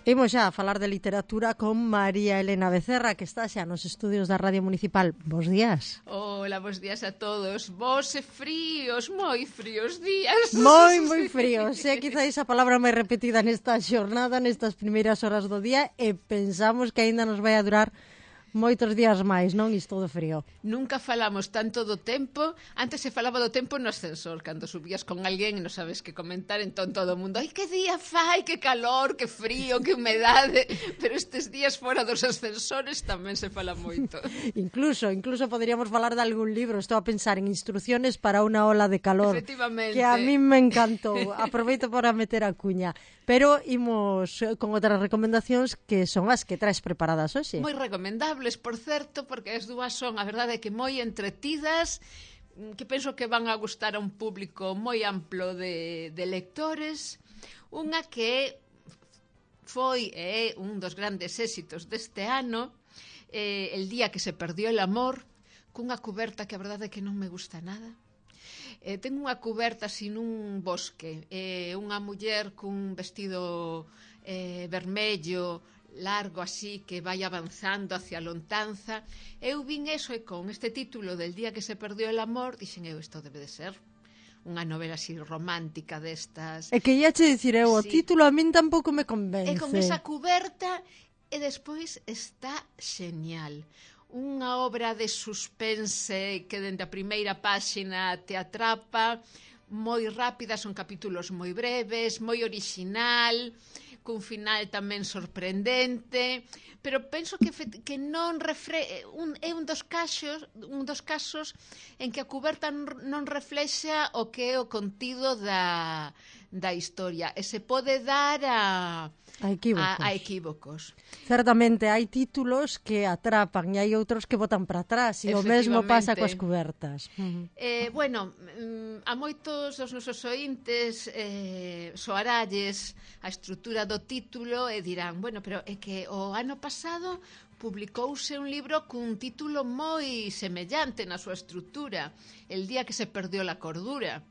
Imos xa a falar de literatura con María Elena Becerra, que está xa nos estudios da Radio Municipal. Bos días. Hola, bos días a todos. Bos e fríos, moi fríos días. Moi fríos. É quizáis a palabra máis repetida nesta xornada, nestas primeiras horas do día, e pensamos que aínda nos vai a durar moitos días máis, non? Isto do frío. Nunca falamos tanto do tempo. Antes se falaba do tempo no ascensor, cando subías con alguén e non sabes que comentar, entón todo o mundo, ai, que día fai, que calor, que frío, que humedade. Pero estes días fora dos ascensores tamén se fala moito. Incluso poderíamos falar de algún libro. Estou a pensar en instrucciones para unha ola de calor, Efectivamente. que a mí me encantou. Aproveito para meter a cuña. Pero imos con outras recomendacións que son as que traes preparadas hoxe. Moi recomendables, por certo, porque as dúas son, a verdade é que moi entretidas, que penso que van a gustar a un público moi amplo de lectores. Unha que foi un dos grandes éxitos deste ano, El día que se perdió el amor, cunha cuberta que a verdade é que non me gusta nada. Ten unha cuberta sin un bosque, unha muller cun vestido vermello, largo así, que vai avanzando hacia a lontanza. Eu vin eso e con este título del día que se perdió el amor, dixen eu, isto debe de ser unha novela así romántica destas. É que ia che dicir eu, o Sí. título a min tampouco me convence. E con esa cuberta, e despois está genial. Unha obra de suspense que dende a primeira páxina te atrapa, moi rápida, son capítulos moi breves, moi orixinal, cun final tamén sorprendente, pero penso que non é un dos casos en que a cuberta non reflexa o que é o contido da historia, e se pode dar a equívocos. Certamente hai títulos que atrapan e hai outros que botan para atrás, e o mesmo pasa coas cubertas. Bueno, a moitos dos nosos ointes soaralles a estrutura do título e dirán, bueno, pero é que o ano pasado publicouse un libro cun título moi semellante na súa estrutura, El día que se perdió la cordura.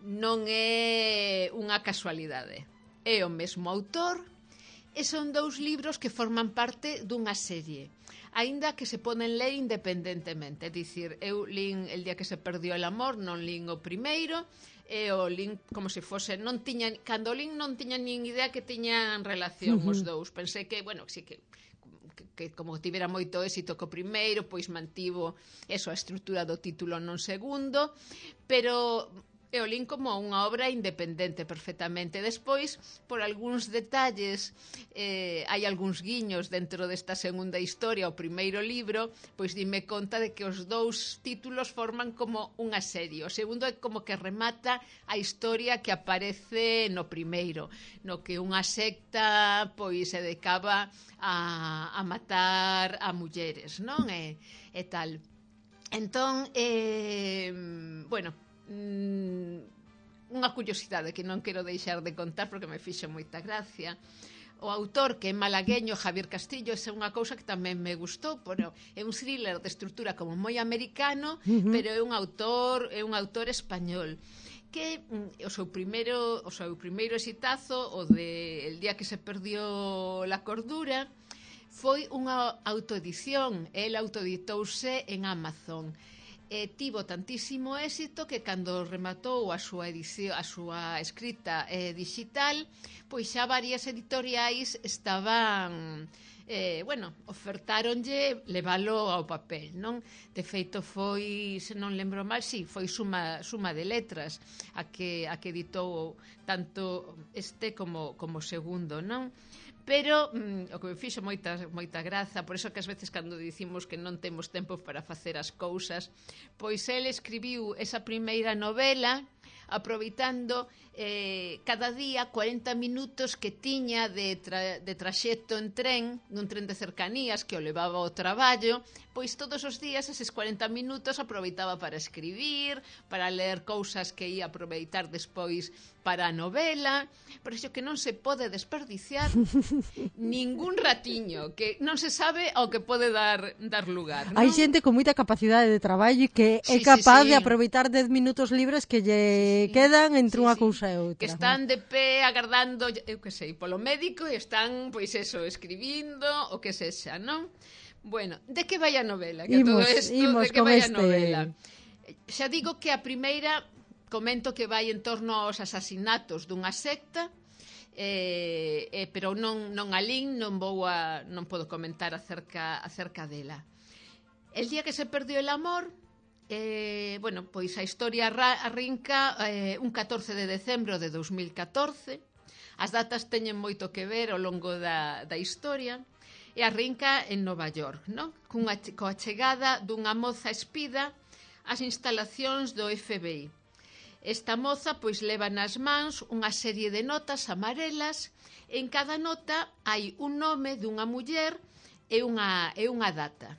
Non é unha casualidade. É o mesmo autor e son dous libros que forman parte dunha serie, aínda que se poden ler independentemente. É dicir, eu lín El día que se perdió el amor, non lín o primeiro, e o lín como se fose, cando lín non tiña nin idea que tiñan relación os dous. Pensei que, bueno, sí que como tivera moito éxito co primeiro, pois mantivo eso, a estrutura do título non segundo, pero e o lin como unha obra independente perfectamente. Despois, por algúns detalles, hai algúns guiños dentro desta segunda historia, o primeiro libro, pois dime conta de que os dous títulos forman como unha serie. O segundo é como que remata a historia que aparece no primeiro, no que unha secta pois se dedicaba a matar a mulleres, non? E tal. Entón, bueno, unha curiosidade que non quero deixar de contar porque me fixo moita gracia. O autor, que é malagueño, Javier Castillo, é unha cousa que tamén me gustou, pero é un thriller de estrutura como moi americano, pero é un autor español que o seu primeiro exitazo, o de El día que se perdió la cordura, foi unha autoedición. El autoeditouse en Amazon. Tivo tantísimo éxito que cando rematou a súa edición, a súa escrita digital, pois xa varias editoriais estaban ofertáronlle levalo ao papel, non? De feito foi, se non lembro mal, foi Suma de Letras a que editou tanto este como o segundo, non? Pero o que me fixo moita graza, por iso que ás veces cando dicimos que non temos tempo para facer as cousas, pois el escribiu esa primeira novela aproveitando cada día 40 minutos que tiña de traxecto en tren, nun tren de cercanías que o levaba ao traballo, pois todos os días eses 40 minutos aproveitaba para escribir, para ler cousas que ia aproveitar despois para a novela, por iso que non se pode desperdiciar ningún ratiño, que non se sabe ao que pode dar lugar, non? Hai xente con moita capacidade de traballo que é capaz de aproveitar 10 minutos libres que lle quedan entre unha cousa e outra. Que están de pé agardando, eu que sei, polo médico e están, pois eso, escribindo o que sexa, non? Bueno, de que vai a novela? Que todo isto, de que vai a novela? Xa digo que a primeira comento que vai en torno aos asasinatos dunha secta, pero non a lin, non podo comentar acerca dela. El día que se perdió el amor, bueno, pois a historia arrinca un 14 de decembro de 2014. As datas teñen moito que ver ao longo da historia, e arrinca en Nova York, non? Coa chegada dunha moza espida ás instalacións do FBI. Esta moza pois leva nas mans unha serie de notas amarelas, e en cada nota hai un nome dunha muller e unha data.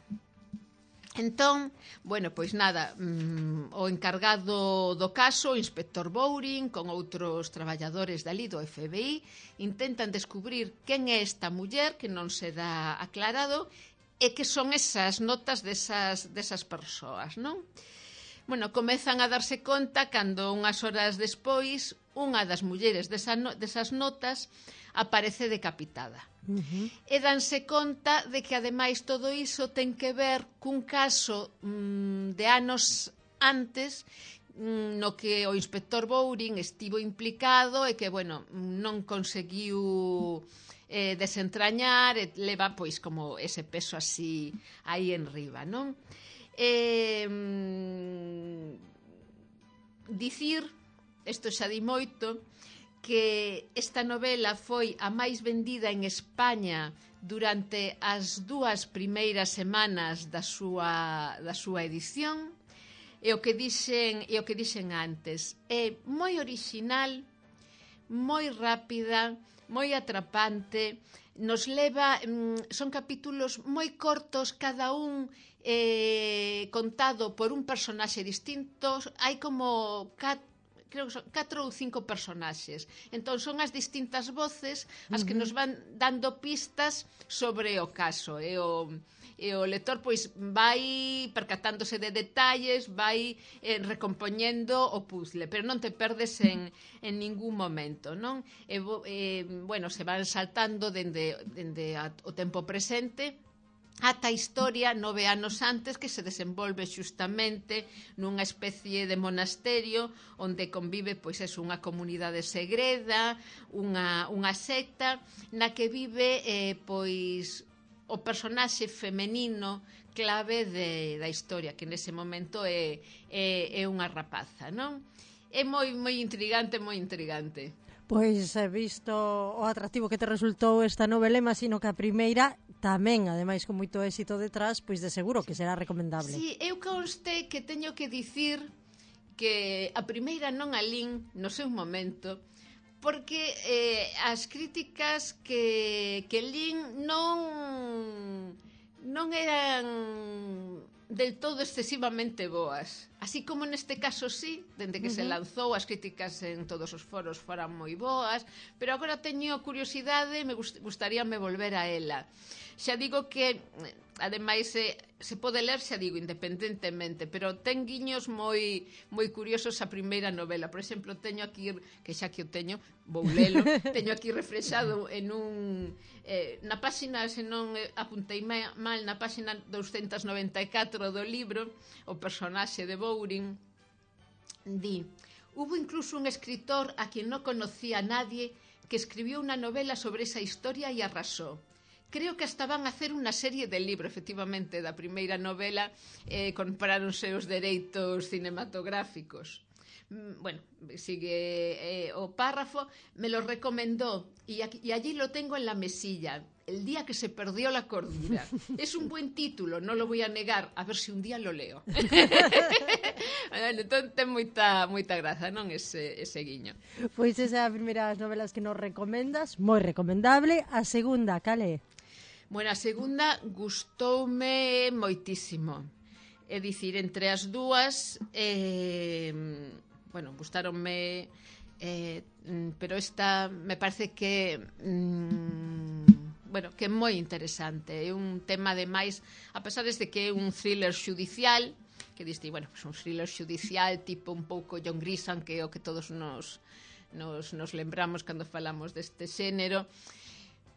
Entón, bueno, pois nada, o encargado do caso, o inspector Bowring, con outros traballadores dali do FBI, intentan descubrir quen é esta muller, que non se dá aclarado, e que son esas notas desas persoas, non? Bueno, comezan a darse conta cando unhas horas despois unha das mulleres desas notas aparece decapitada. E danse conta de que ademais todo iso ten que ver cun caso de anos antes no que o inspector Bowring estivo implicado e que, bueno, non conseguiu desentrañar e leva pois como ese peso así aí en riba, non? Dicir, isto xa di moito, que esta novela foi a máis vendida en España durante as 2 primeiras semanas da súa edición, e o que dixen antes, é moi orixinal, moi rápida, moi atrapante, nos leva, son capítulos moi cortos, cada un contado por un personaxe distinto, hai como creo que son 4 ou 5 personaxes. Entón son as distintas voces as que nos van dando pistas sobre o caso, e o lector pois vai percatándose de detalles, vai recompoñendo o puzzle, pero non te perdes en ningún momento, non? Bueno, se van saltando dende o tempo presente ata a historia 9 anos antes, que se desenvolve xustamente nunha especie de monasterio onde convive pois unha comunidade segreda, unha secta na que vive pois o personaxe femenino clave da historia, que nese momento é unha rapaza, non? É moi intrigante, moi intrigante. Pois visto o atractivo que te resultou esta novela, imagino que a primeira tamén, ademais con moito éxito detrás, pois de seguro que será recomendable. Si, eu conste que teño que dicir que a primeira non a lin no seu momento, porque as críticas que lin non eran del todo excesivamente boas. Así como neste caso sí, dende que se lanzou, as críticas en todos os foros foran moi boas, pero agora teño curiosidade e me gustaríame volver a ela. Xa digo que, ademais, se pode ler, xa digo, independentemente, pero ten guiños moi curiosos a primeira novela. Por exemplo, teño aquí, que xa que o teño, vou lelo, teño aquí reflexado en na páxina, se non apuntei mal, na páxina 294 do libro, o personaxe de Bowring di: hubo incluso un escritor a quien no conocía a nadie que escribió una novela sobre esa historia y arrasó. Creo que hasta van a hacer unha serie de libro, efectivamente, da primeira novela, compráronse os dereitos cinematográficos. Bueno, sigue o párrafo, me lo recomendó y allí lo tengo en la mesilla. El día que se perdió la cordura. Es un buen título, no lo voy a negar, a ver si un día lo leo. Entón ten moita graza, non, ese guiño. Pois esa é a primeira das novelas que nos recomendas, moi recomendable. A segunda, cal é? Bueno, a segunda gustoume moitísimo. É dicir, entre as dúas, bueno, gustáronme pero esta me parece que bueno, que é moi interesante. É un tema, ademais, a pesar de que é un thriller xudicial, que diste, bueno, pues un thriller xudicial tipo un pouco John Grisham, que é o que todos nos lembramos cando falamos deste xénero,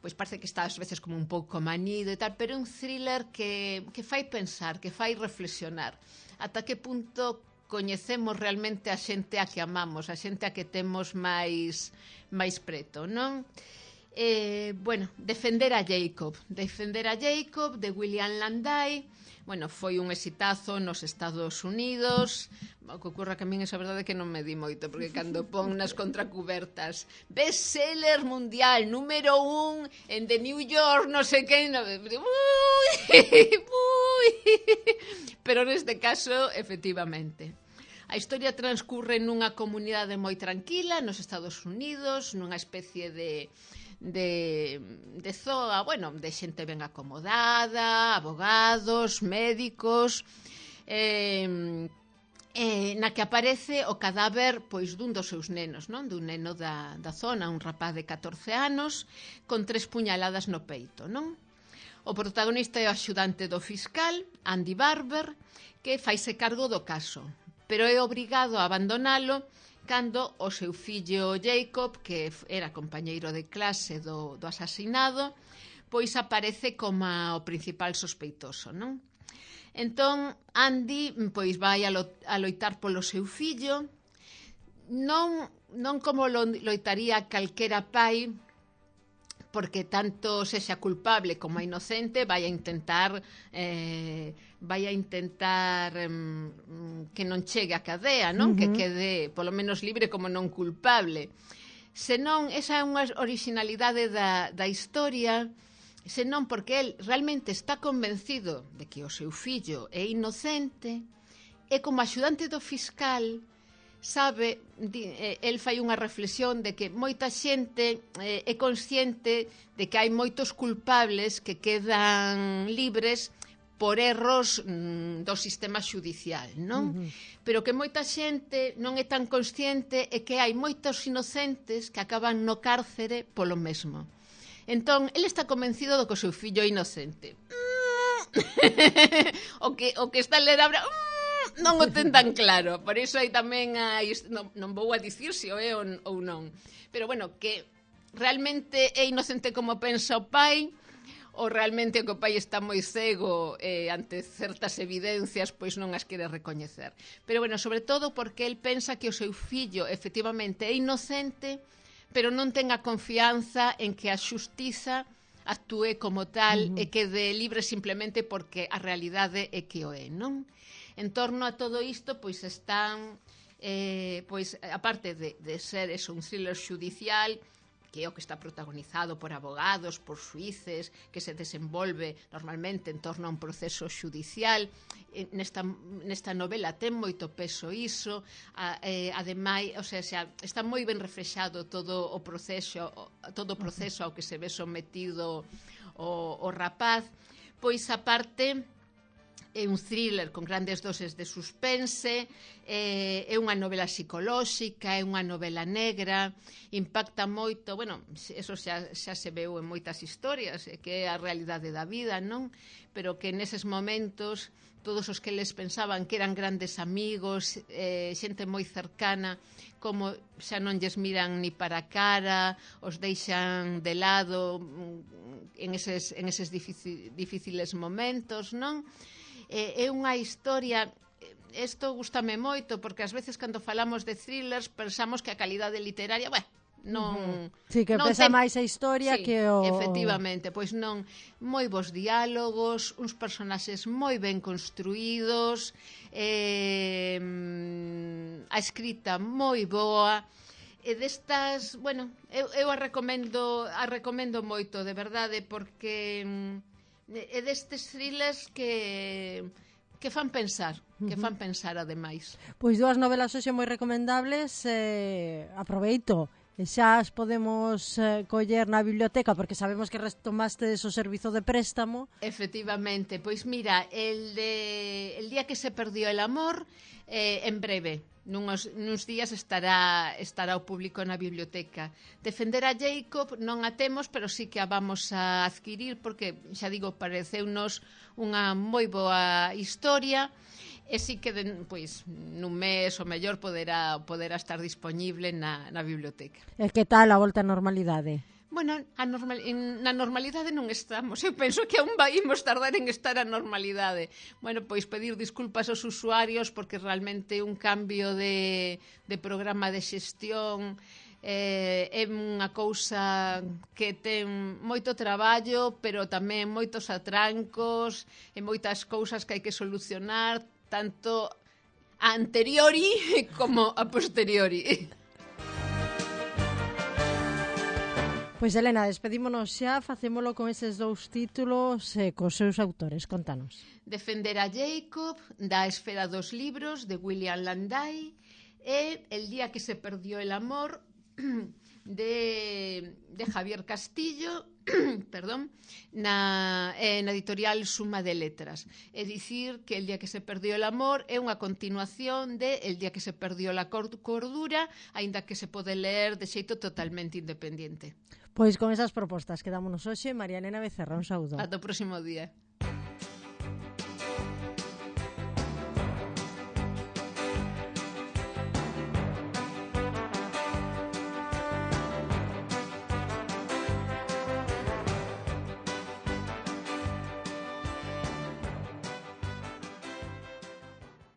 pois parece que está ás veces como un pouco manido e tal, pero é un thriller que fai pensar, que fai reflexionar ata que punto coñecemos realmente a xente a que amamos, a xente a que temos máis preto, non? Bueno, Defender a Jacob de William Landay. Bueno, foi un exitazo nos Estados Unidos. O que ocurra que a min esa verdade que non me di moito, porque cando pon nas contracubertas bestseller mundial, número 1 en The New York, non sei que, pero neste caso, efectivamente, a historia transcurre nunha comunidade moi tranquila nos Estados Unidos, nunha especie de zoa, bueno, de xente ben acomodada, abogados, médicos, na que aparece o cadáver pois dun dos seus nenos, non? Dun neno da zona, un rapaz de 14 anos con 3 puñaladas no peito, non? O protagonista é o axudante do fiscal, Andy Barber, que faise cargo do caso, pero é obrigado a abandonalo cando o seu fillo Jacob, que era compañeiro de clase do asasinado, pois aparece como o principal sospeitoso, non? Entón, Andy pois vai a loitar polo seu fillo, non como loitaría calquera pai, porque tanto sexa culpable como inocente vai a intentar que non chegue a cadea, non? Que quede polo menos libre como non culpable. Senón, esa é unha originalidade da historia, senón porque el realmente está convencido de que o seu fillo é inocente e como axudante do fiscal sabe, el fai unha reflexión de que moita xente é consciente de que hai moitos culpables que quedan libres por erros do sistema xudicial, non? Pero que moita xente non é tan consciente e que hai moitos inocentes que acaban no cárcere polo mesmo. Entón, el está convencido do que o seu fillo é inocente. o que está a ler abra... non o ten tan claro, por iso hai tamén non vou a dicir se o é ou non, pero bueno, que realmente é inocente como pensa o pai, ou realmente que o pai está moi cego ante certas evidencias, pois non as quere recoñecer. Pero bueno, sobre todo porque el pensa que o seu fillo efectivamente é inocente, pero non ten a confianza en que a xustiza actúe como tal e quede libre simplemente porque a realidade é que o é, non? En torno a todo isto, pois están, pois aparte de ser eso, un thriller xudicial, que é o que está protagonizado por abogados, por xuíces, que se desenvolve normalmente en torno a un proceso xudicial. Nesta novela ten moito peso iso, ademais, o sea, está moi ben reflexado todo o proceso ao que se ve sometido o rapaz. Pois aparte é un thriller con grandes doses de suspense, é unha novela psicolóxica, é unha novela negra, impacta moito, bueno, eso xa se veu en moitas historias, que é a realidade da vida, non? Pero que neses momentos todos os que les pensaban que eran grandes amigos, xente moi cercana, como xa non lles miran ni para a cara, os deixan de lado en eses difíciles momentos, non? É unha historia, isto gustame moito, porque ás veces cando falamos de thrillers pensamos que a calidade literaria, non... Sí, que pesa máis a historia que o... Efectivamente, pois non, moi bons diálogos, uns personaxes moi ben construídos, a escrita moi boa, e destas, bueno, eu a recomendo moito, de verdade, porque é destes thrillers que fan pensar, ademais. Pois dúas novelas hoxe moi recomendables, aproveito E xa as podemos coller na biblioteca, porque sabemos que retomastes o servizo de préstamo. Efectivamente, pois mira, el día que se perdió el amor, en breve, nuns días estará o público na biblioteca. Defender a Jacob non a temos, pero sí que a vamos a adquirir, porque, xa digo, pareceunos unha moi boa historia, e sí que pois, nun mes o mellor poderá estar dispoñible na biblioteca. E que tal a volta á normalidade? Bueno, na normalidade non estamos. Eu penso que aún imos tardar en estar a normalidade. Bueno, pois pedir disculpas aos usuarios porque realmente un cambio de programa de xestión é unha cousa que ten moito traballo, pero tamén moitos atrancos e moitas cousas que hai que solucionar, tanto a anteriori como a posteriori. Pois, Elena, despedímonos xa, facémolo con eses dous títulos e cos seus autores, contanos. Defender a Jacob, da Esfera dos Libros, de William Landay, e El día que se perdió el amor, de Javier Castillo, perdón, na editorial Suma de Letras. É dicir que El día que se perdió el amor é unha continuación de El día que se perdió la cordura, aínda que se pode ler de xeito totalmente independiente. Pois con esas propostas quedámonos hoxe. María Elena Becerra, un saúdo. Ata o próximo día.